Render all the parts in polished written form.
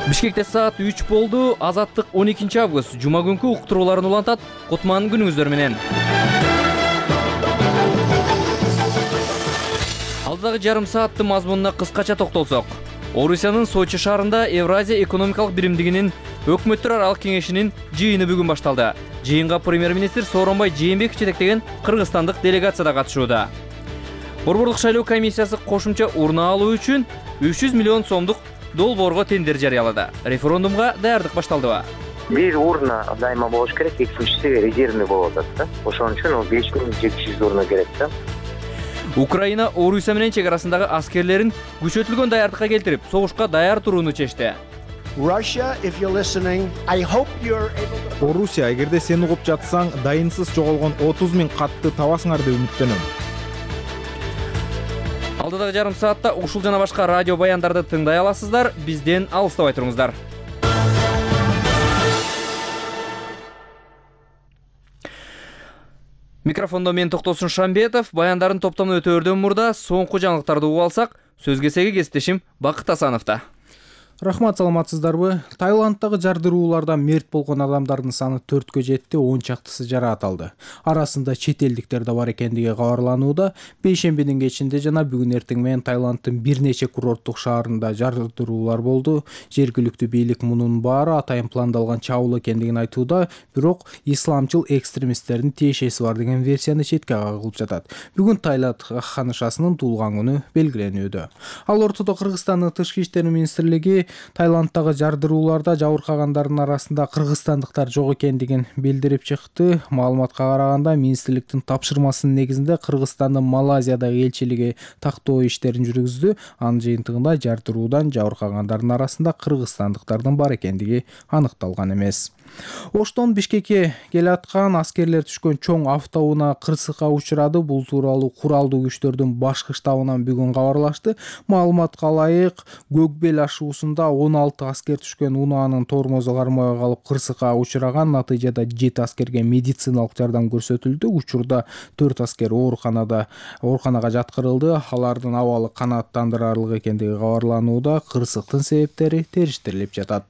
Бишкекте саат 3 болду. Азаттык 12 август жума күнкү уктурууларын улантат. Кутман күнүңүздөр менен. Алдыдагы жарым сааттын мазмунуна кыскача токтолсок. Орусиянын Сочи шаарында Евразия экономикалык биримдигинин өкмөттөр аралык кеңешинин жыйыны бүгүн башталды. Жыйынга премьер-министр Сооронбай Жээнбеков жетектеген кыргызстандык делегация да катышууда. Борбордук шайлоо комиссиясы кошумча урна алуу үчүн 300 миллион сомдук долбоорго тендер жарыялады. Референдумга даярдык башталдыбы? Бир урна дайыма болуш керек, экинчиси резервный болуп атат да. Ошон үчүн 5700 урна керек да. Украина Орусия менен чек арасындагы аскерлерин күчөтүлгөн даярдыкка келтирип, согушка даяр турууну чечти. Орусия, эгерде сен угуп жатсаң, дайынсыз жоголгон 30 000 катты табасыңар деп үмүттөнөм. Алдыдагы жарым саатта ушул жана башка радио баяндарды тыңдай аласыздар. Бизден алыстабай туруңуздар. Микрофондо мен Токтосун Шамбетов. Баяндарын топтомун өтөөрдөн мурда соңку жаңылыктарды угуп алсак, сөз кезеги кесиптешим Бакыт Асановдо. Рахмат, саламатсыздарбы? Таиландтагы жардыруулардан мерт болгон адамдардын саны 4кө жетти, 10 чактысы жарааталды. Арасында чет элдиктер да бар экендиги кабарланууда. Бейшембинин кечинде жана бүгүн эртең менен Таиландтын бир нече курорттук шаарында жардыруулар болду. Жергиликтүү бийлик мунун баары атайын пландалган чабуул экендигин айтууда, бирок исламчыл экстремисттердин тиешеси бар деген версияны четке кагылып жатат. Бүгүн Таиланд ханышасынын туулган күнү белгиленүүдө. Ал ортодо Кыргызстандын тышкы иштер министрлиги Таиландтагы жардырууларда жабыркагандардын арасында кыргызстандыктар жок экендигин билдирип чыкты. Маалыматка караганда, министрликтин тапшырмасынын негизинде Кыргызстандын Малайзиядагы элчилиги тактоо иштерин жүргүздү. Анын жыйынтыгында жардыруудан жабыркагандардын арасында кыргызстандыктардын бар экендиги аныкталган эмес. Оштон Бишкекке келаткан аскерлер түшкөн чоң автоунаа кырсыкка учурады. Бул тууралуу куралдуу күчтөрдүн башкы штабынан бүгүн кабарлашты. Маалыматка ылайык, Көкбел ашуусунда 16 аскер түшкөн унаанын тормозу кармабай калып кырсыкка учураган. Натыйжада 7 аскерге медициналык жардам көрсөтүлдү. Учурда 4 аскер ооруканага жаткырылды. Алардын абалы канааттандырарлык экендиги кабарланууда. Кырсыктын себептери териштирилип жатат.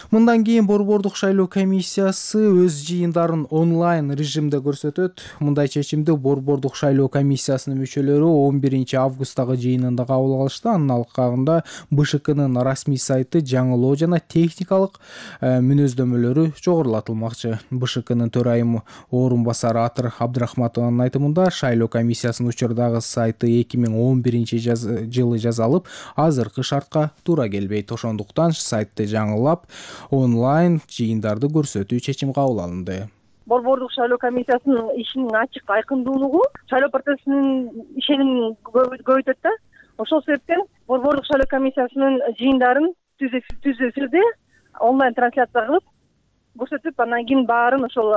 Мындан кийин Борбордук шайлоо комиссиясы өз жыйындарын онлайн режимде көрсөтөт. Мындай чечимди Борбордук шайлоо комиссиясынын мүчөлөрү 11 августтагы жыйынында кабыл алышты. Анын алкагында БШКнын расмий сайты жаңылоо жана техникалык мүнөздөмөлөрү жогорулатылмакчы. БШКнын төрайымы орун басары Атыр Абдрахматованын айтымында, шайлоо комиссиясынын учурдагы сайты 2011 жылы жасалып, азыркы шартка туура келбейт. Ошондуктан сайтты жаңылап онлайн жыйындарды көрсөтүү чечим кабыл алынды. Борбордук шайлоо комиссиясынын ишинин ачык айкындуулугу шайлоо процессинин ишенимин көбөйтөт да. Ошол себептен Борбордук шайлоо комиссиясынын жыйындарын түз эфирде онлайн трансляция кылып көрсөтүп, андан кийин баарын ошол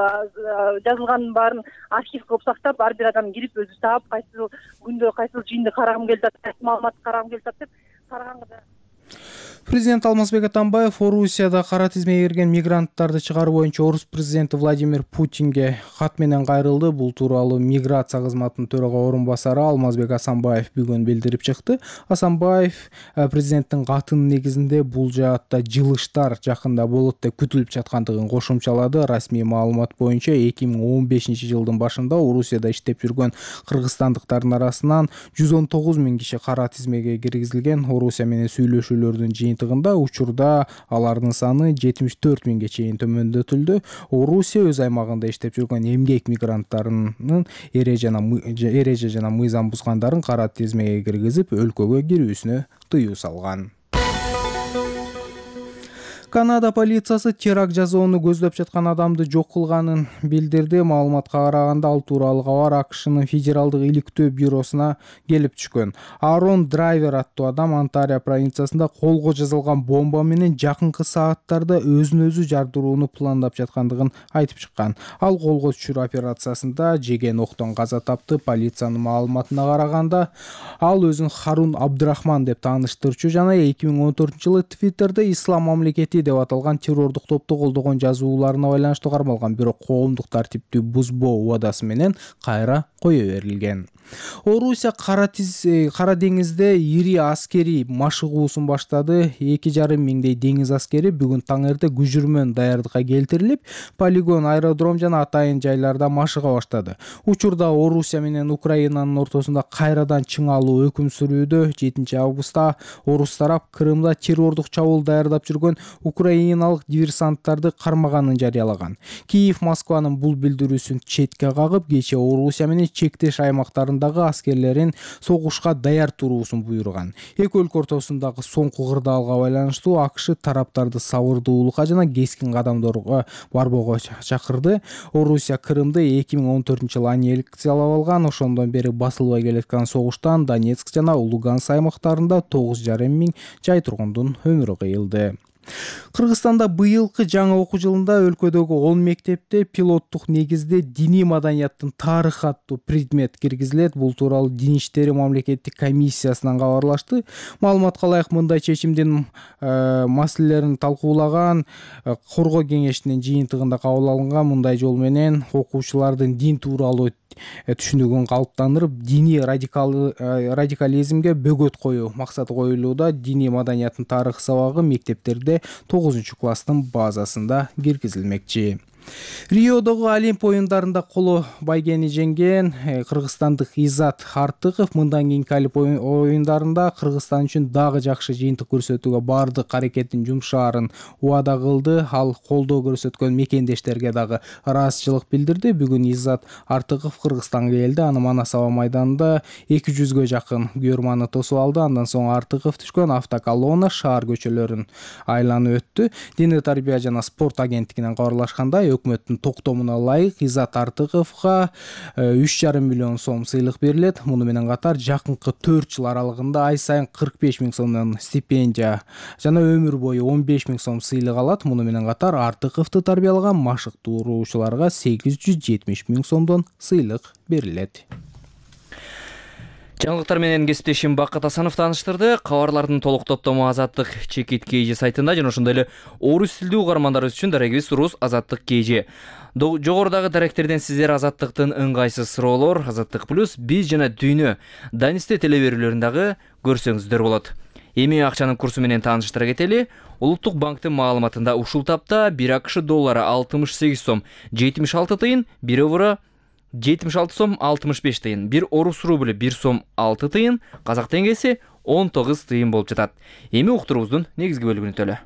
жазылганын баарын архив кылып сактап, ар бир адам кирип өзү таап, кайсыл күндө кайсыл жыйынды карагым келип атат, кайсыл маалыматты карагым келип атат деп караганга. Президент Алмазбек Атамбаев Орусияда кара тизмеге кирген мигранттарды чыгаруу боюнча орус президенти Владимир Путинге кат менен кайрылды. Бул тууралуу миграция кызматынын төрага орун басары Алмазбек Асанбаев бүгүн билдирип чыкты. Асанбаев президенттин катынын негизинде бул жаатта жылыштар жакында болот деп күтүлүп жаткандыгын кошумчалады. Расмий маалымат боюнча 2015 жылдын башында Орусияда иштеп жүргөн кыргызстандыктардын арасынан 119 000 киши кара тизмеге киргизилген. Орусия менен сүйлөшүүлөрдүн жыйынтыгында учурда алардын саны 74 000ге чейин төмөндөтүлдү. Орусия өз аймагында иштеп жүргөн эмгек мигранттарынын эреже жана мыйзам бузгандарын кара тизмеге киргизип, өлкөгө кирүүсүнө тыюу салган. Канада полициясы теракт жасоону көздөп жаткан адамды жок кылганын билдирди. Маалыматка караганда, ал тууралуу кабар АКШнын федералдык иликтөө бюросуна келип түшкөн. Арон Драйвер аттуу адам Онтарио провинциясында колго жазылган бомба менен жакынкы сааттарда өзүн өзү жардырууну пландап жаткандыгын айтып чыккан. Ал колго түшүрүү операциясында жеген октон каза тапты. Полициянын маалыматына караганда, ал өзүн Харун Абдрахман деп тааныштырчу жана 2014 жылы Твиттерде Ислам мамлекети деп аталган террордук топту колдогон жазууларына байланыштуу кармалган, бирок коомдук тартипти бузбоо убадасы менен кайра кое берилген. Орусия Кара деңизде ири аскерий машыгуусун баштады. 2,5 миңдей деңиз аскери бүгүн таң эрте күжүрмөн даярдыкка келтирилип, полигон, аэродром жана атайын жайларда машыга баштады. Учурда Орусия менен Украинанын ортосунда кайрадан чыңалуу өкүм сүрүүдө. 7 августта орус тарап Крымда террордук чабуул даярдап жүргөн украиналык диверсанттарды кармаганын жарыялаган. Киев Москванын бул билдирүүсүн четке кагып, кечээ Орусия менен чектеш аймактарындагы аскерлерин согушка даяр туруусун буйруган. Эки өлкө ортосундагы соңку кырдаалга байланыштуу АКШ тараптарды сабырдуулукка жана кескин кадамдарга барбоого чакырды. Орусия Крымды 2014-жылы аннексиялап алган. Ошондон бери басылбай келаткан согуштан Донецк жана Луганск аймактарында 9,5 миң жай тургундун өмүрү кыйылды. Кыргызстанда быйылкы жаңы окуу жылында өлкөдөгү 10 мектепте пилоттук негизде диний маданияттын тарыхы аттуу предмет киргизилет. Бул тууралуу Дин иштери мамлекеттик комиссиясынан кабарлашты. Маалыматка ылайык, мындай чечимдин маселелерин талкуулаган коргоо кеңешинин жыйынтыгында кабыл алынган. Мындай жол менен окуучулардын дин тууралуу түшүнүгүн калыптандырып, диний радикализмге бөгөт коюу максаты коюлууда. Диний маданияттын тарыхы сабагы мектептерде 9-класстын базасында киргизилмекчи. Риодогу Олимп оюндарында коло байгени жеңген кыргызстандык Изат Артыков мындан кийинки Олимп оюндарында Кыргызстан үчүн дагы жакшы жыйынтык көрсөтүүгө бардык аракетин жумшаарын убада кылды. Ал колдоо көрсөткөн мекендештерге дагы ыраазычылык билдирди. Бүгүн Изат Артыков Кыргызстанга келди. Аны Манас аба майданында 200-гө жакын күйөрманы тосуп алды. Андан соң Артыков түшкөн автоколонна шаар көчөлөрүн айланып өттү. Диний тарбия жана спорт агенттигинен кабарлашкандай, өкмөттүн токтомуна ылайык Изат Артыковго 3,5 миллион сом сыйлык берилет. Муну менен катар жакынкы 4 жыл аралыгында ай сайын 45 миң сомдон стипендия жана өмүр бою 15 миң сом сыйлык алат. Муну менен катар Артыковду тарбиялаган машыктыруучуларга 870 миң сомдон сыйлык берилет. Жаңылыктар менен кесиптешим Бакыт Асанов тааныштырды. Кабарлардын толук топтому Азаттык Чекит KG сайтында жана ошондой эле орус тилдүү угармандарыбыз үчүн дарегибиз Рус Азаттык KG. Жогорудагы даректерден сиздер Азаттыктын ыңгайсыз суроолор, Азаттык Плюс, биз жана дүйнө Данисте телеберүүлөрүндагы көрсөңүздөр болот. Эми акчанын курсу менен тааныштыра кетели. Улуттук банктын маалыматында ушул тапта 1 АКШ доллары 68 сом 76 тыйын, 1 евро 76 сом 65 тыйын, 1 орус рубль 1 сом 6 тыйын, казак теңгеси 19 тыйын болуп жатат. Эми уктуруубуздун негизги бөлүгүнө төлө.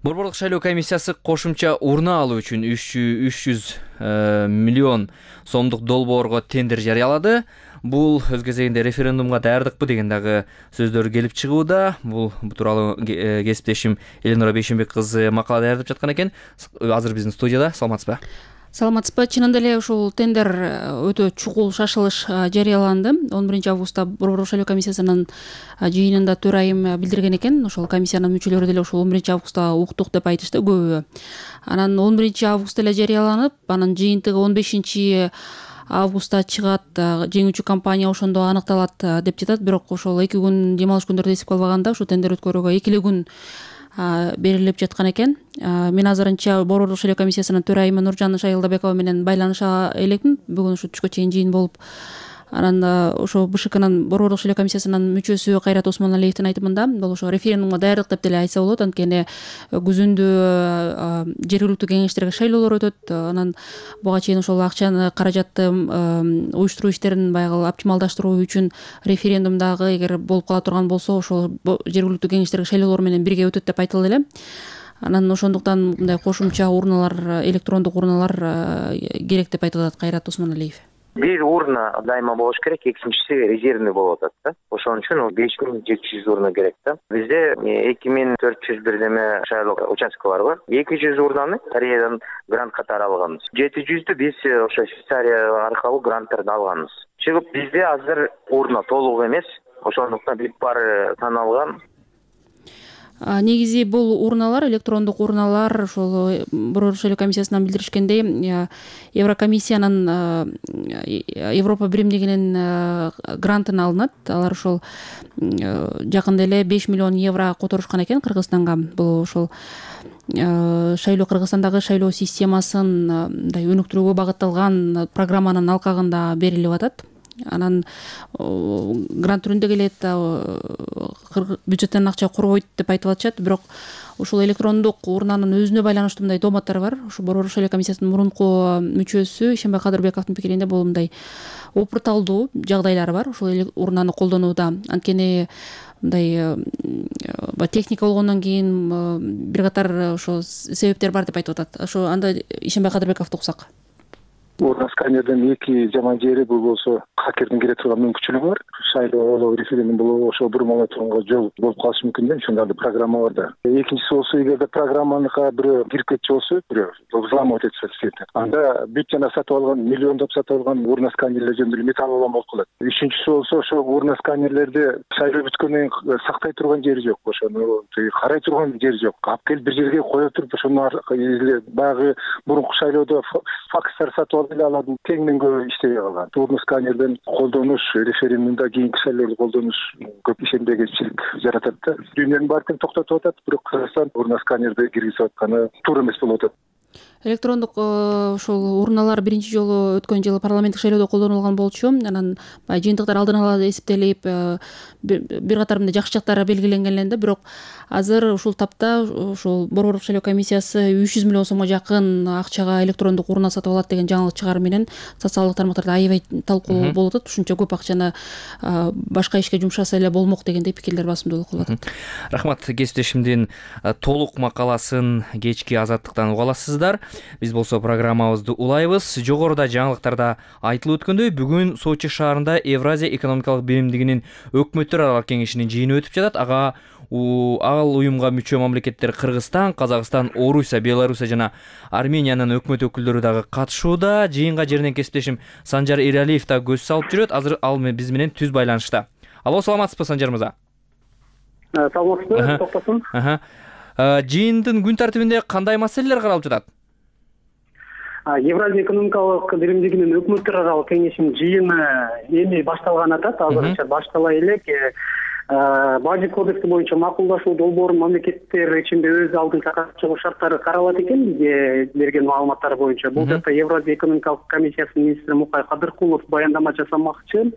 Борборлук шайлоо комиссиясы кошумча урна алуу үчүн 300 миллион сомдук долбоорго тендер жарыялады. Бул өз кезегинде референдумга даярдыкпы деген дагы сөздөр келип чыгууда. Бул тууралуу кесиптешим Эленора Бейшенбек кызы макала даярдап жаткан экен. Азыр биздин студияда. Саламатсызбы? Саламатсызбы. Чынында эле ушул тендер өтө чукул шашылыш жарыяланды. 11 августта Борборлук шайлоо комиссиясынын жыйынында төрайым билдирген экен. Ошол комиссиянын мүчөлөрү деле ушул 11 августта уктук деп айтышты көбү. Анан 11 августта эле жарыяланып, анын жыйынтыгы 15 августта чыгат, жеңүүчү компания ошондо аныкталат деп жатат. Бирок ошол 2 күн дем алыш күндөрү эсепке албаганда ушу тендер өткөрүүгө 2 күн берилип жаткан экен. Мен азырынча Борборлук шайлоо комиссиясынын төрайымы Нуржан Шайылдабекова менен байланыша элекмин. Бүгүн ушу түшкө чейин жыйын болуп, анан ошо БШКнын Борборлук шайлоо комиссиясынын мүчөсү Кайрат Осмоналиевдин айтымында бул ошо референдумга даярдык деп деле айтса болот. Анткени күзүндө жергиликтүү кеңештерге шайлоолор өтөт. Анан буга чейин ошол акчаны, каражатты уюштуруу иштерин баягы оптималдаштыруу үчүн референдумдагы эгер болуп кала турган болсо, ошол жергиликтүү кеңештерге шайлоолор менен бирге өтөт деп айтылды эле. Анан ошондуктан мындай кошумча урналар, электрондук урналар керек деп айтып атат Кайрат Осмоналиев. Бир урна дайыма болуш керек, экинчиси резервный болуп атат да. Ошон үчүн 5700 урна керек да. Бизде 2400 бирдеме шайлоо участкалар бар. 200 урнаны Кореядан грант катары алганбыз. 700дү биз ошо Швейцария аркылуу гранттарды алганбыз. Чыгып бизде азыр урна толук эмес. Ошондуктан бир пар саналган. Негизи бул урналар, электрондук урналар ошол Борбор шайлоо комиссиясынан билдиришкендей, Еврокомиссиянын Европа биримдигинин грантына алынат. Алар ошол жакында эле 5 миллион евро которушкан экен Кыргызстанга. Бул ошол Кыргызстандагы шайлоо системасын мындай өнүктүрүүгө багытталган программанын алкагында берилип атат. Анан грант түрүндө келет, бюджеттен акча корбойт деп айтып атышат. Бирок ушул электрондук урнанын өзүнө байланыштуу мындай дооматтар бар. Ушу Борбор шайлоо комиссиясынын мурунку мүчөсү Ишенбай Кадырбековдун пикиринде бул мындай опурталдуу жагдайлары бар ушул урнаны колдонууда. Анткени мындай техника болгондон кийин бир катар ошо себептер бар деп айтып атат. Ошо анда Ишенбай Кадырбековду уксак. Урна сканердин эки жаман жери бул болсо хакердин кире турган мүмкүнчүлүгү бар. Шайлоо референдум болобу ошо бурмалай турганга жол болуп калышы мүмкүн да, ошондой программа бар да. Экинчиси болсо эгерде программаныкка бирөө кирип кетчү болсо, бирөө взломать этсе, анда бүт жана сатып алган, миллиондоп сатып алган урна сканерлер жөнүндө металлолом болуп калат. Үчүнчүсү болсо ошо урна сканерлерди шайлоо бүткөндөн кийин сактай турган жери жок, ошону карай турган жери жок. Алып келип бир жерге кое туруп, ошону баягы мурунку шайлоодо факстар сатып алардын кеңинен көп иштебей калган. Урна сканерден колдонуш, референдумда кийинки шайлоодо колдонуш көп ишенбегенчилик жаратат да. Дүйнөнүн баарын токтотуп атат, бирок Кыргызстан урна сканерди киргизип атканы туура эмес болуп атат. Электрондук ошол урналар биринчи жолу өткөн жылы парламенттик шайлоодо колдонулган болчу. Анан жыйынтыктар алдын ала эсептелип, бир катар мындай жакшы жактары белгиленген эле да. Бирок азыр ушул тапта ошол Борборлук шайлоо комиссиясы 300 миллион сомго жакын акчага электрондук урна сатып алат деген жаңылык чыгаруу менен социалдык тармактарда аябай талкуу болуп атат. Ушунча көп акчаны башка ишке жумшаса эле болмок дегендей пикирлер басымдуу кылып атат. Рахмат, кесиптешимдин толук макаласын кечки Азаттыктан уга аласыздар. Биз болсо программабызды улайбыз. Жогоруда жаңылыктарда айтылып өткөндөй, бүгүн Сочи шаарында Евразия экономикалык биримдигинин өкмөттөр аралык кеңешинин жыйыны өтүп жатат. Ал уюмга мүчө мамлекеттер Кыргызстан, Казакстан, Орусия, Белоруссия жана Армениянын өкмөт өкүлдөрү дагы катышууда. Жыйынга жерден кесиптешим Санжар Эралиев да көз салып жүрөт. Азыр ал биз менен түз байланышта. Алло, саламатсызбы Санжар мырза? Саламатсызбы, токтосун. Жыйындын күн тартибинде кандай маселелер каралып жатат? Евразия экономикалык биримдигинин өкмөттөр аралык кеңешинин жыйыны эми башталган атат. Азырынча баштала элек. Бажы кодекси боюнча макулдашуу долбоорун мамлекеттер ичинде өз алдынча чыгуу шарттары каралат экен. Бизге берген маалыматтар боюнча бул жакта Евразия экономикалык комиссиясынын министри Мукай Кадыркулов баяндама жасамакчы.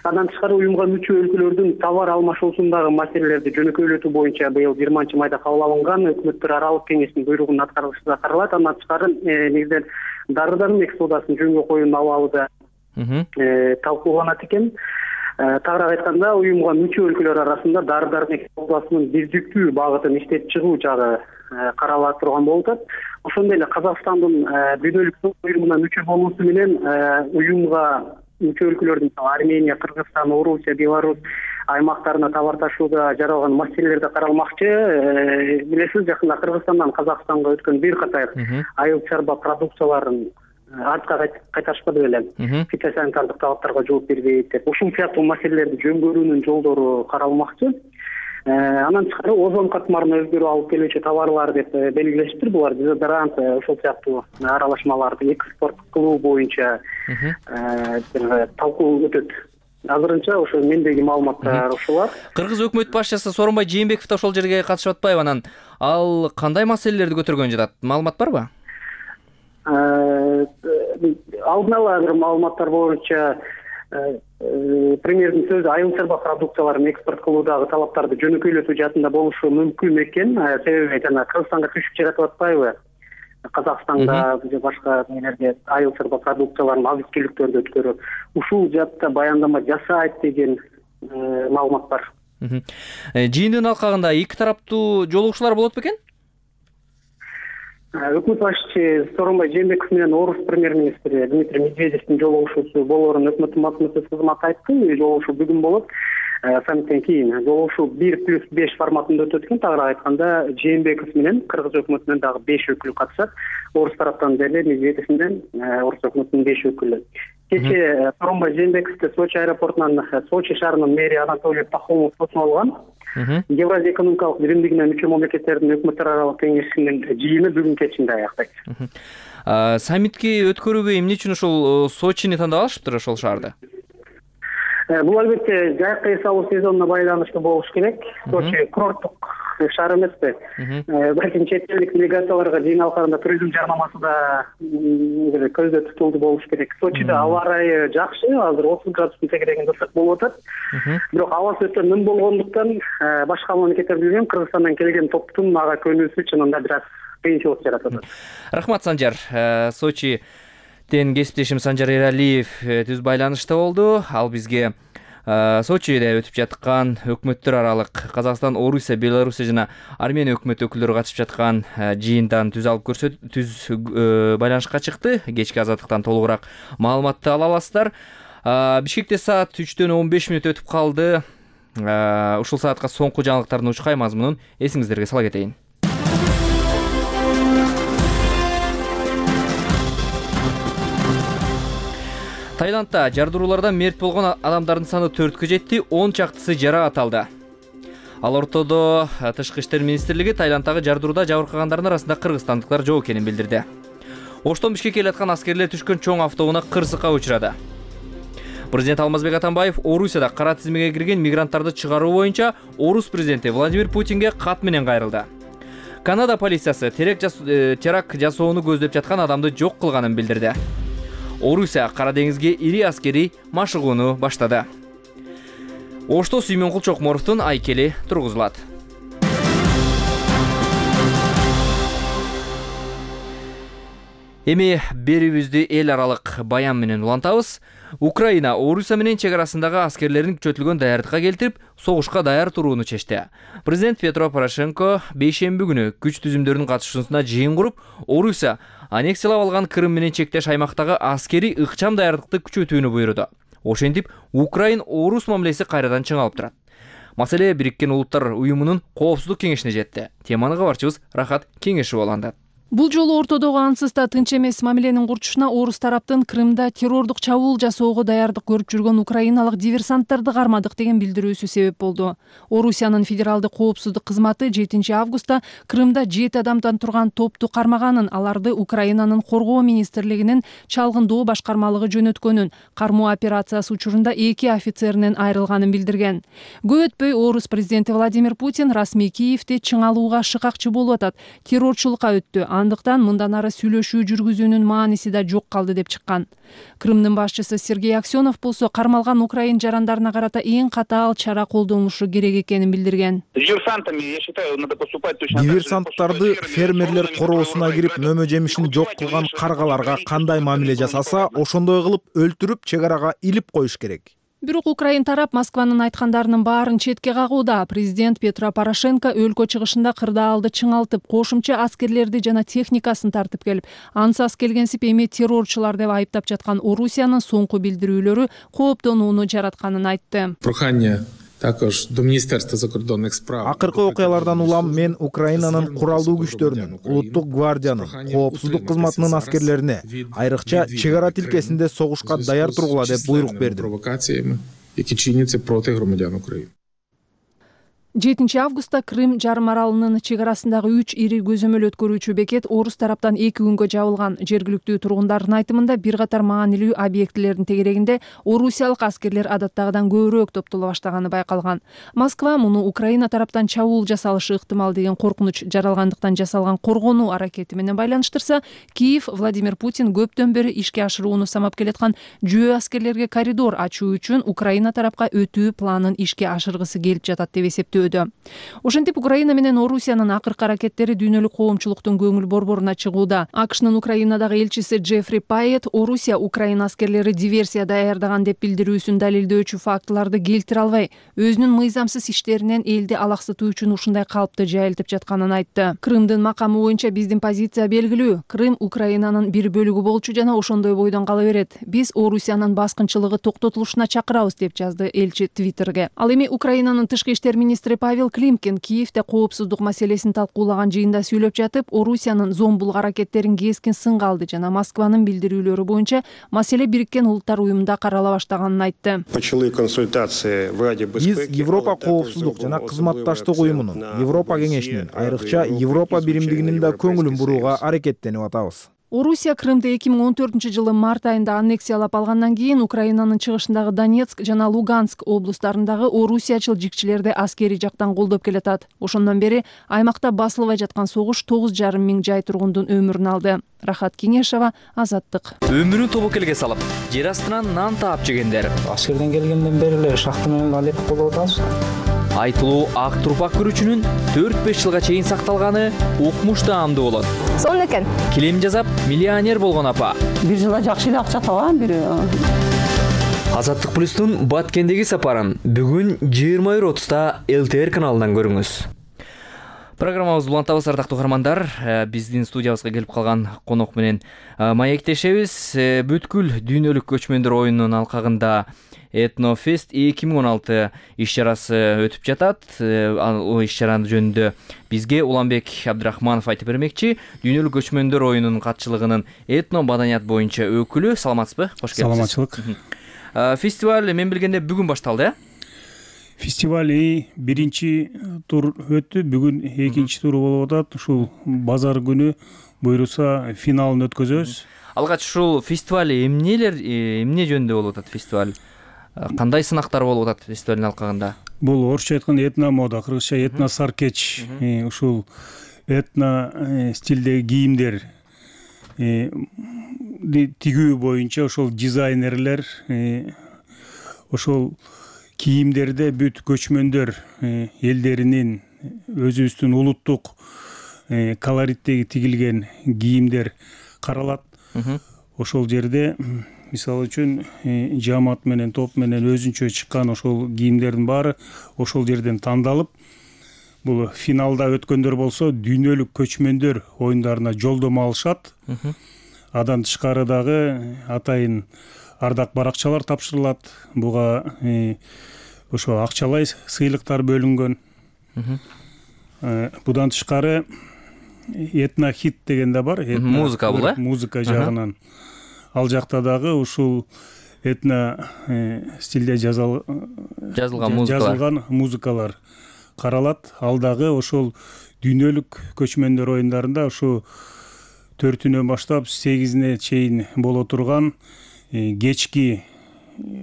Андан тышкары уюмга мүчө өлкөлөрдүн товар алмашуусундагы маселелерди жөнөкөйлөтүү боюнча быйыл 20-майда кабыл алынган өкмөттөр аралык кеңештин буйругунун аткарылышы да каралат. Андан тышкары негизинен дары-дармек соодасын жөнгө коюунун абалы да талкууланат экен. Тагыраак айтканда, уюмга мүчө өлкөлөр арасында дары-дармек соодасынын бирдиктүү багытын иштеп чыгуу жагы карала турган болуп атат. Ошондой эле Казакстандын дүйнөлүк соода уюмуна мүчө болуусу менен уюмга мүчө өлкөлөрдүн Армения, Кыргызстан, Орусия, Беларусь аймактарына товар ташууда жаралган маселелер да каралмакчы. Билесиз, жакында Кыргызстандан Казакстанга өткөн бир катар айыл чарба продукцияларын артка кайтарышпады беле. Фитосанитардык талаптарга жооп бербейт деп. Ушул сыяктуу маселелерди жөнгөрүүнүн жолдору каралмакчы. Анан тышкары озон катмарына өзгөрүү алып келүүчү товарлар деп белгилештир. Булар дезодорант, ошол сыяктуу аралашмаларды экспорт кылуу боюнча талкуу өтөт. Азырынча ошо мендеги маалыматтар ушулар. Кыргыз өкмөт башчысы Сооронбай Жээнбеков да ошол жерге катышып атпайбы? Анан ал кандай маселелерди көтөргөн жатат? Маалымат барбы? Алдын ала бир маалыматтар боюнча премьердин сөзү айыл чарба продукцияларын экспорт кылуудагы талаптарды жөнөкөйлөтүү жаатында болушу мүмкүн экен. Себеби жана Кыргызстанга түшүп жаратып атпайбы? Казакстанда же башка нелерге айыл чарба продукцияларын азык-түлүктөрдү өткөрүп, ушул жаатта баяндама жасайт деген маалымат бар. Жыйындын алкагында эки тараптуу жолугушуулар болот бекен? Өкмөт башчысы Сооронбай Жээнбеков менен орус премьер-министри Дмитрий Медведевдин жолугушуусу болоорун өкмөттүн басмасөз кызматы айтты. Жолугушуу бүгүн болот. Саммиттен кийин жолугушуу 1+5 форматында өтөт экен. Тагыраак айтканда, Жээнбеков менен Кыргыз өкмөтүнөн дагы 5 өкүл катышат. Орус тараптан деле Медведев менен орус өкмөтүнүн 5 өкүлү. Кечээ Сооронбай Жээнбековду Сочи аэропортунан Сочи шаарынын мэри Анатолий Пахомов тосуп алган. Евразия экономикалык биримдигине мүчө мамлекеттердин өкмөттөр аралык кеңешинин жыйыны бүгүн кечинде аяктайт. Саммитти өткөрүүгө эмне үчүн ошол Сочини тандап алышыптыр ошол шаарды? Бул албетте жайкы эс алуу сезонуна байланыштуу болуш керек. Сочи курорттук шаар эмеспи? Балким чет элдик делегацияларга жыйын алкагында туризм жарнамасы да көздө тутулду болуш керек. Сочида аба ырайы жакшы, азыр 30 градустун тегерегинде ысык болуп атат. Бирок абасы өтө ным болгондуктан башка мамлекеттер билген Кыргызстандан келген топтун ага көнүүсү чынында бир аз кыйынчылык жаратат. Рахмат, Санжар. Сочиден кесиптешим Санжар Эралиев түз байланышта болду. Ал бизге Сочиде өтүп жаткан өкмөттөр аралык Казакстан, Орусия, Белоруссия жана Армения өкмөт өкүлдөрү катышып жаткан жыйындан түз байланышка чыкты. Кечки азаттыктан толугураак маалыматты ала аласыздар. Бишкекте саат 3:15 өтүп калды. Ушул саатка соңку жаңылыктардын учкай мазмунун эсиңиздерге сала кетейин. Таиландда жардыруулардан мерт болгон адамдардын саны 4-кө жетти, 10 чактысы жараат алды. Ал ортодо Тышкы иштер министрлиги Таиланддагы жардырууда жабыркагандардын арасында кыргызстандыктар жок экенин билдирди. Оштон Бишкекке келаткан аскерлер түшкөн чоң автоунаа кырсыкка учурады. Президент Алмазбек Атамбаев Орусияда кара тизмеге кирген мигранттарды чыгаруу боюнча Орус президенти Владимир Путинге кат менен кайрылды. Канада полициясы теракт жасоону көздөп жаткан адамды жок кылганын билдирди. Орусия Кара деңизге ири аскери машыгууну баштады. Ошто Сүймөнкул Чокморовдун айкели тургузулат. Эми берүүбүздү эл аралык баян менен улантабыз. Украина Орусия менен чек арасындагы аскерлерин күчөтүлгөн даярдыкка келтирип, согушка даяр турууну чечти. Президент Петро Порошенко бейшемби күнү күч түзүмдөрүнүн катышуусуна жыйын куруп, Орусия аннексиялап алган Крым менен чектеш аймактагы аскери ыкчам даярдыкты күчөтүүнү буйруду. Ошентип, Украин Орус мамилеси кайрадан чыңалып турат. Маселе Бириккен Улуттар уюмунун коопсуздук кеңешине жетти. Теманы кабарчыбыз Рахат Кеңешов улантат. Бул жолу ортодогу ансыз да тынч эмес мамиленин курчушуна Орус тараптын Крымда террордук чабуул жасоого даярдык көрүп жүргөн украиналык диверсанттарды кармадык деген билдирүүсү себеп болду. Орусиянын федералдык коопсуздук кызматы 7 августта Крымда 7 адамдан турган топту кармаганын, аларды Украинанын коргоо министрлигинин чалгындоо башкармалыгы жөнөткөнүн, кармоо операциясы учурунда 2 офицеринен айрылганын билдирген. Көп өтпөй Орус президенти Владимир Путин расмий Киевде чыңалууга шыкакчы болуп атат, террорчулукка өттү. Андыктан мындан ары сүйлөшүү жүргүзүүнүн мааниси да жок калды деп чыккан. Крымдын башчысы Сергей Аксенов болсо кармалган украин жарандарына карата эң катаал чара колдонулушу керек экенин билдирген. Диверсанттарды фермерлер короосуна кирип мөмө жемишин жок кылган каргаларга кандай мамиле жасаса, ошондой кылып өлтүрүп чек арага илип коюш керек. Бирок Украин тарап Москванын айткандарынын баарын четке кагууда. Президент Петро Порошенко өлкө чыгышында кырдаалды чыңалтып, кошумча аскерлерди жана техникасын тартып келип, ансыз келгенсип эми террорчулар деп айыптап жаткан Орусиянын соңку билдирүүлөрү кооптонууну жаратканын айтты. Акыркы окуялардан улам мен Украинанын куралдуу күчтөрүнүн, улуттук гвардиянын, коопсуздук кызматынын аскерлерине, айрыкча чек ара тилкесинде согушка даяр тургула деп буйрук бердим. 7 августта Крым жарым аралынын чек арасындагы 3 ири көзөмөл өткөрүүчү бекет Орус тараптан 2 күнгө жабылган. Жергиликтүү тургундардын айтымында бир катар маанилүү объектилердин тегерегинде орусиялык аскерлер адаттагыдан көбүрөөк топтоло баштаганы байкалган. Москва муну Украина тараптан чабуул жасалышы ыктымал деген коркунуч жаралгандыктан жасалган коргонуу аракети менен байланыштырса, Киев Владимир Путин көптөн бери ишке ашырууну самап келаткан жөө аскерлерге коридор ачуу үчүн Украина тарапка өтүү планын ишке ашыргысы келип жатат деп эсептөө. Ошентип Украина менен Орусиянын акыркы аракеттери дүйнөлүк коомчулуктун көңүл борборуна чыгууда. АКШнын Украинадагы элчиси Джеффри Пайет Орусия Украина аскерлери диверсия даярдаган деп билдирүүсүн далилдөөчү фактыларды келтире албай, өзүнүн мыйзамсыз иштеринен элди алаксытуу үчүн ушундай калыпты жайылтып жатканын айтты. Крымдын макамы боюнча биздин позиция белгилүү. Крым Украинанын бир бөлүгү болчу жана ошондой бойдон кала берет. Биз Орусиянын баскынчылыгы токтотулушуна чакырабыз деп жазды элчи Твиттерге. Ал эми Украинанын тышкы иштер министри министри Павел Климкин Киевде коопсуздук маселесин талкуулаган жыйында сүйлөп жатып, Орусиянын зомбулук аракеттерин кескин сынга алды жана Москванын билдирүүлөрү боюнча маселе Бириккен Улуттар уюмунда карала баштаганын айтты. Биз Европа коопсуздук жана кызматташтык уюмунун, Европа кеңешинин, айрыкча Европа биримдигинин да көңүлүн бурууга аракеттенип атабыз. Орусия Крымды 2014 март айында аннексиялап алгандан кийин Украинанын чыгышындагы Донецк жана Луганск облустарындагы орусиячыл жикчилерди аскерий жактан колдоп келатат. Ошондон бери аймакта басылбай жаткан согуш 9,5 миң жай тургундун өмүрүн алды. Рахат Кеңешова, Азаттык. Өмүрүн тобокелге салып, жер астынан нан таап жегендер. Аскерден келгенден бери эле шахта менен алек болуп атабыз. Айтылуу ак турпак көрүүчүнүн 4-5 жылга чейин сакталганы укмуш даамдуу болот. Сонун экен. Килем жасап, миллионер болгон апа. Бир жылда жакшы эле акча табам, бир. Азаттык плюстун Баткендеги сапарын бүгүн 20:30-та ЛТР каналынан көрүңүз. Программабызды улантабыз, ардактуу каармандар. Биздин студиябызга келип калган конок менен маектешебиз. Бүткүл дүйнөлүк көчмөндөр оюнунун алкагында Этнофест 2016 иш-чарасы өтүп жатат. Ал иш-чаранын жөнүндө бизге Уланбек Абдрахманов айтып бермекчи. Дүйнөлүк көчмөндөр оюнунун катчылыгынын этно маданият боюнча өкүлү. Саламатсызбы? Кош келипсиз. Саламатчылык. Фестиваль мен билгенде бүгүн башталды, Фестиваль биринчи тур өттү, бүгүн экинчи туру болуп атат. Ушул базар күнү буйруса финалын өткөзөбүз. Алгач ушул фестиваль эмне жөнүндө болуп атат фестиваль? Кандай сынактар болуп атат фестивалдын алкагында? Бул орусча айтканда этно мода, кыргызча этно саркеч. Ушул этно стилдеги кийимдер тигүү боюнча ошол дизайнерлер ошол кийимдерде бүт көчмөндөр элдеринин өзүбүздүн улуттук колориттеги тигилген кийимдер каралат. Ошол жерде мисалы үчүн жамаат менен топ менен өзүнчө чыккан ошол кийимдердин баары ошол жерден тандалып, бул финалда өткөндөр болсо дүйнөлүк көчмөндөр оюндарына жолдомо алышат. Адан тышкары дагы атайын ардак баракчалар тапшырылат. Буга ошо акчалай сыйлыктар бөлүнгөн. Будан тышкары этно хит деген да бар. Музыка бул, музыка жагынан. Ал жакта дагы ушул этно стилде жазылган музыкалар каралат. Ал дагы ошол дүйнөлүк көчмөндөр оюндарында ушу 4-үнөн баштап 8-ине чейин боло турган кечки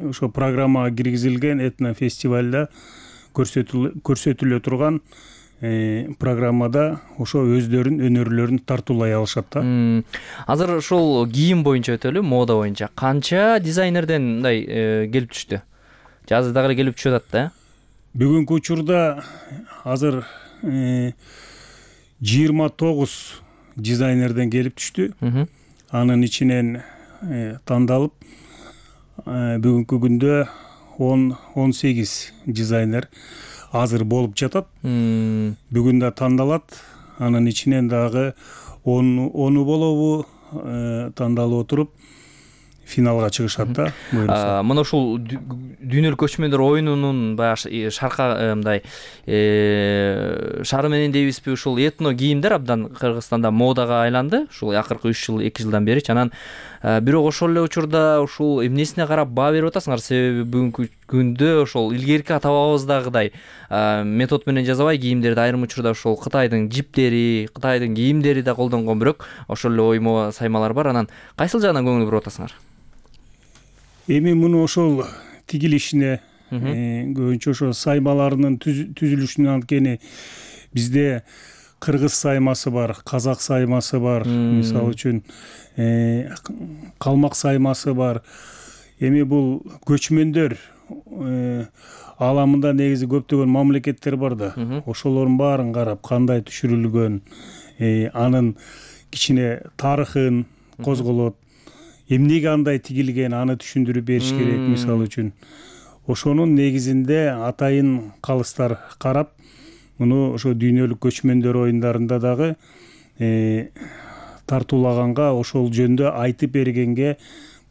ошо программага киргизилген этно фестивалда көрсөтүлө турган программада ошо өздөрүнүн өнөрлөрүн тартуулай алышат да. Азыр ошол кийим боюнча өтөлү, мода боюнча канча дизайнерден мындай келип түштү? Жазда дагы келип түшүп атат да. Бүгүнкү учурда азыр 29 дизайнерден келип түштү. Анын ичинен тандалып бүгүнкү күндө 18 дизайнер азыр болуп жатат. Бүгүн да тандалат. Анын ичинен дагы 10 болобу тандалып отуруп финалга чыгышат да. Мына ушул дүйнөлүк көчмөндөр оюнунун баягы шарка мындай шары менен дейбизби, ушул этно кийимдер абдан Кыргызстанда модага айланды. Ушул акыркы 2 жылдан бери анан бирок ошол эле учурда ушул эмнесине карап баа берип атасыңар? Себеби бүгүнкү күндө ошол илгерки ата-бабабыздагыдай метод менен жасабай кийимдерди айрым учурда ошол Кытайдын жиптери, Кытайдын кийимдери да колдонгон, бирок ошол эле оймо саймалар бар. Анан кайсыл жагынан көңүл буруп атасыңар? Эми муну ошол тигилишине көбүнчө ошо саймаларынын түзүлүшүнө, анткени бизде кыргыз саймасы бар, казак саймасы бар, мисалы үчүн калмак саймасы бар. Эми бул көчмөндөр ааламында негизи көптөгөн мамлекеттер бар да. Ошолордун баарын карап кандай түшүрүлгөн, анын кичине тарыхын козголот. Эмнеге андай тигилген, аны түшүндүрүп бериш керек. Мисалы үчүн ошонун негизинде атайын калыстар карап, муну ошо дүйнөлүк көчмөндөр оюндарында дагы тартуулаганга, ошол жөнүндө айтып бергенге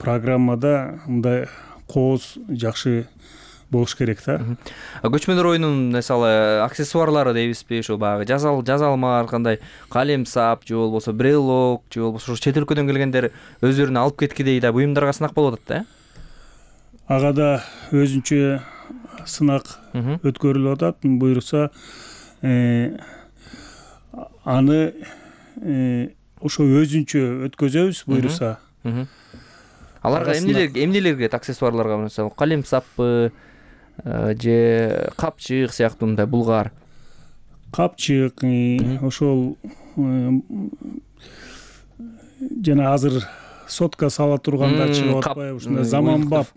программада мындай кооз жакшы болуш керек да. Көчмөндөр оюнунун мисалы аксессуарлары дейбизби, ошо баягы жазалмар, кандай калем сап же болбосо брелок же болбосо чет өлкөдөн келгендер өздөрүнө алып кеткидей да буюмдарга сынак болуп атат да. Ага да өзүнчө сынак өткөрүлүп атат. Буюрса аны ошо өзүнчө өткөзөбүз буюрса. Аларга эмнелерге аксессуарларга мисалы калем саппы же капчык сыяктуу мындай булгар. Капчык ошол жана азыр сотка сала турганда чыгып атпайбы, ушундай заманбап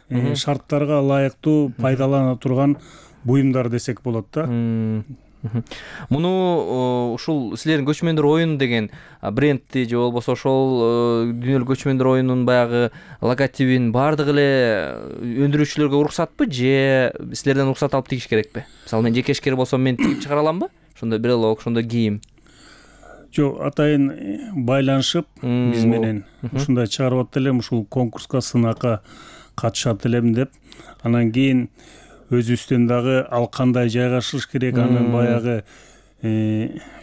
шарттарга ылайыктуу пайдалана турган буюмдар десек болот да. Муну ушул силердин көчмөндөр оюну деген брендти же болбосо ошол дүйнөлүк көчмөндөр оюнунун баягы логотипин баардыгы эле өндүрүүчүлөргө уруксатпы же силерден уруксат алып тигиш керекпи? Мисалы мен жеке ишкер болсом мен тигип чыгара аламбы? Ошондой брелок, ошондой кийим. Жок, атайын байланышып биз менен ушундай чыгарып атты элем, ушул конкурска, сынакка катышат элем деп. Анан кийин өзүбүздөн дагы ал кандай жайгашыш керек, анын баягы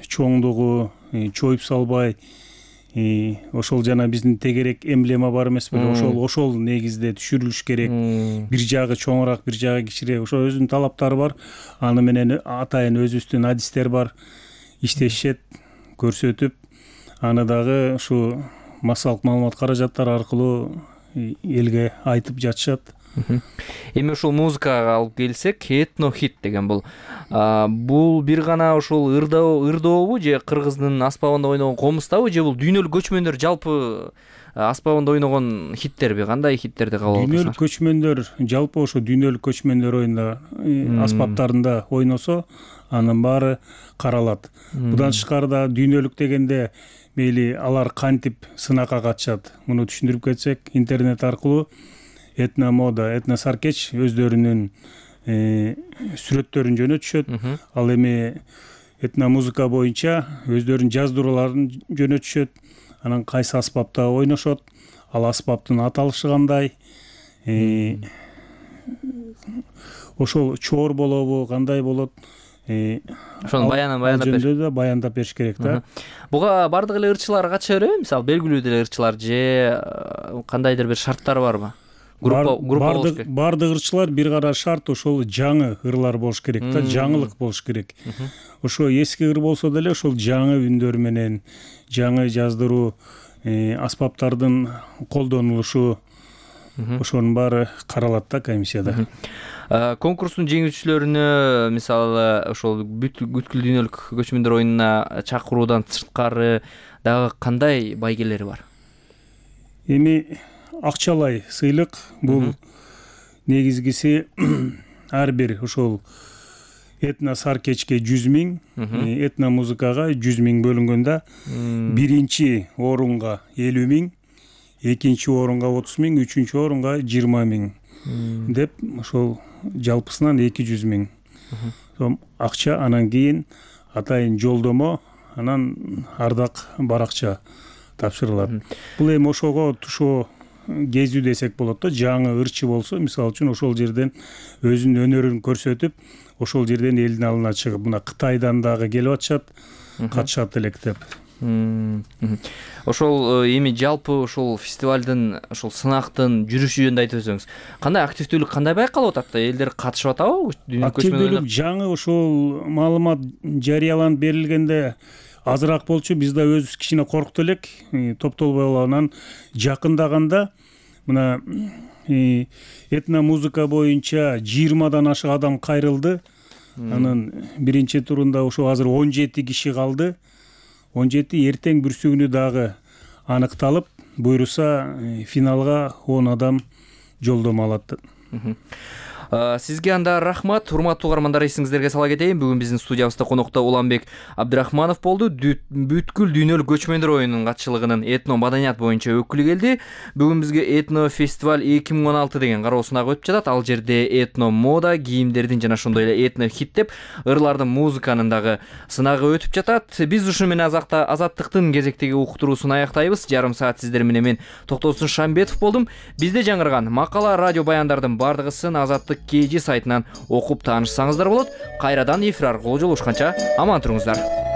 чоңдугу, чоюп салбай, ошол жана биздин тегерек эмблема бар эмес беле, ошол негизде түшүрүлүш керек. Бир жагы чоңураак, бир жагы кичирээк. Ошо өзүнүн талаптары бар. Аны менен атайын өзүбүздүн адистер бар. Иштешет, көрсөтүп, аны дагы ушу массалык маалымат каражаттары аркылуу элге айтып жатышат. Эми ушул музыкага алып келсек, этно хит деген бул бир гана ушул ырдообу же кыргыздын аспабында ойногон комузтабы же бул дүйнөлүк көчмөндөр жалпы аспабында ойногон хиттерби? Кандай хиттерди кабыл аласыңар? Дүйнөлүк көчмөндөр жалпы ошо дүйнөлүк көчмөндөр оюнда аспаптарында ойносо анын баары каралат. Будан тышкары дүйнөлүк дегенде мейли алар кантип сынакка катышат, муну түшүндүрүп кетсек, интернет аркылуу этномода, этносаркеч өздөрүнүн сүрөттөрүн жөнөтүшөт. Ал эми этномузыка боюнча өздөрүнүн жаздырууларын жөнөтүшөт. Анан кайсы аспапта ойношот, ал аспаптын аталышы кандай, ошол чоор болобу, кандай болот, ошону баяндап бериш керек да. Буга бардык эле ырчылар катыша береби? Мисалы белгилүү деле ырчылар же кандайдыр бир шарттары барбы? Группа болуш керек. Бардык ырчылар бир кара шарт ошол жаңы ырлар болуш керек да, жаңылык болуш керек. Ошо эски ыр болсо деле ошол жаңы үндөр менен, жаңы жаздыруу, аспаптардын колдонулушу, ошонун баары каралат да комиссияда. Конкурстун жеңүүчүлөрүнө мисалы ошол бүткүл дүйнөлүк көчмөндөр оюнуна чакыруудан сырткары дагы кандай байгелери бар? Эми акчалай сыйлык бул негизгиси ар бир ошол этносаркечке 100 000, этномузыкага 100 000 бөлүнгөндө биринчи орунга 50 000, экинчи орунга 30 000, үчүнчү орунга 20 000 деп ошол жалпысынан 200 000 сом акча, анан кийин атайын жолдомо, анан ардак баракча тапшырылат. Бул эми ошого тушоо кезүү десек болот да. Жаңы ырчы болсо, мисалы үчүн ошол жерден өзүнүн өнөрүн көрсөтүп, ошол жерден элдин алдына чыгып, мына Кытайдан дагы келип атышат, катышат элек деп. Ошол эми жалпы ошол фестивалдын, ошол сынактын жүрүшү жөнүндө айтып өтсөңүз, кандай активдүүлүк, кандай байкалып атат? Элдер катышып атабы? Активдүүлүк жаңы ошол маалымат жарыяланып берилгенде азыраак болчу. Биз да өзүбүз кичине коркту элек, топтолбой алып. Анан жакындаганда мына этномузыка боюнча 20дан ашык адам кайрылды. Анын биринчи турунда ошо азыр 17 киши калды. 17 эртең бүрсүгүнү дагы аныкталып, буйруса финалга 10 адам жолдомо алат. Сизге анда рахмат, урматтуу угармандар, эсиңиздерге сала кетейин. Бүгүн биздин студиябызда конокто Уланбек Абдрахманов болду. Бүткүл дүйнөлүк көчмөндөр оюнунун катчылыгынын этно маданият боюнча өкүлү келди. Бүгүн бизге этно фестиваль 2016 деген кароо сынагы өтүп жатат. Ал жерде этно мода, кийимдердин жана ошондой эле этно хит деп ырлардын, музыканын дагы сынагы өтүп жатат. Биз ушу менен Азаттыктын кезектеги уктуруусун аяктайбыз. Жарым саат сиздер менен мен Токтосун Шамбетов болдум. Бизде жаңырган макала, радио баяндардын бардыгысын Азаттык kg сайтынан окуп таанышсаңыздар болот. Кайрадан эфир аркылуу жолугушканча аман туруңуздар.